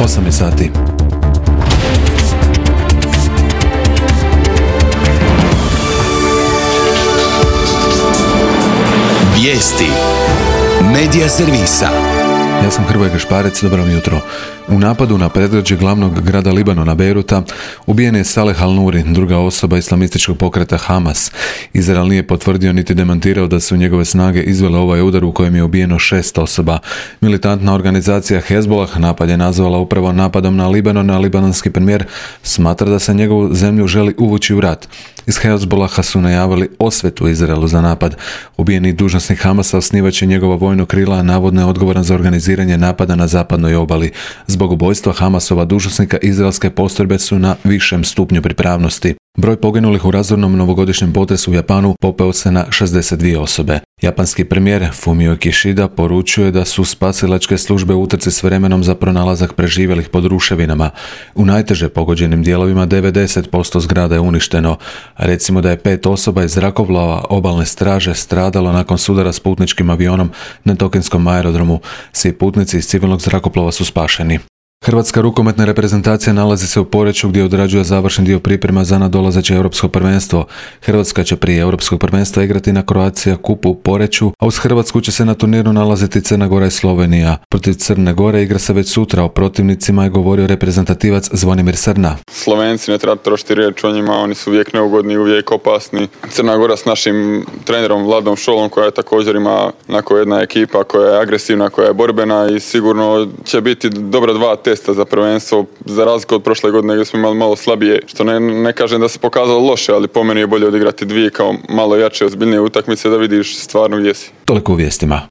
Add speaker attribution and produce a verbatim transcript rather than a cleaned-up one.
Speaker 1: osam je sati.
Speaker 2: Vijesti Medija servisa.
Speaker 1: Ja sam Hrvoje Gašparec, dobro vam jutro. U napadu na predgrađe glavnog grada Libanona, Bejruta, ubijen je Saleh al-Nuri, druga osoba islamističkog pokreta Hamas. Izrael nije potvrdio niti demantirao da su njegove snage izvele ovaj udar u kojem je ubijeno šest osoba. Militantna organizacija Hezbollah napad je nazvala upravo napadom na Libanon, a libanonski premijer smatra da se njegovu zemlju želi uvući u rat. Iz Hezbollaha su najavili osvetu Izraelu za napad. Ubijeni dužnosnik Hamasa osnivač je njegova vojno krila, a navodno je odgovoran za organiziranje napada na zapadnoj obali. Zbog ubojstva Hamasova dužnosnika izraelske postrojbe su na višem stupnju pripravnosti. Broj poginulih u razornom novogodišnjem potresu u Japanu popeo se na šezdeset dvije osobe. Japanski premijer Fumio Kishida poručuje da su spasilačke službe u utrci s vremenom za pronalazak preživjelih pod ruševinama. U najteže pogođenim dijelovima devedeset posto zgrada je uništeno. Recimo da je pet osoba iz zrakoplova obalne straže stradalo nakon sudara s putničkim avionom na Tokinskom aerodromu. Svi putnici iz civilnog zrakoplova su spašeni. Hrvatska rukometna reprezentacija nalazi se u Poreču gdje odrađuje završni dio priprema za nadolazeće europsko prvenstvo. Hrvatska će prije europskog prvenstva igrati na Croatia Cupu u Poreču, a uz Hrvatsku će se na turniru nalaziti Crna Gora i Slovenija. Protiv Crne Gore igra se već sutra, o protivnicima je govorio reprezentativac Zvonimir Srna.
Speaker 3: Slovenci, ne treba trošiti riječ o njima, oni su uvijek neugodni, uvijek opasni. Crna Gora s našim trenerom Vladom Šolom, koja također ima onako jedna ekipa koja je agresivna, koja je borbena i sigurno će biti dobra dva testa za prvenstvo, za razliku od prošle godine gdje smo imali malo slabije, što ne, ne kažem da se pokazalo loše, ali po meni je bolje odigrati dvije kao malo jače, ozbiljnije utakmice da vidiš stvarno gdje si.
Speaker 1: Toliko u vijestima.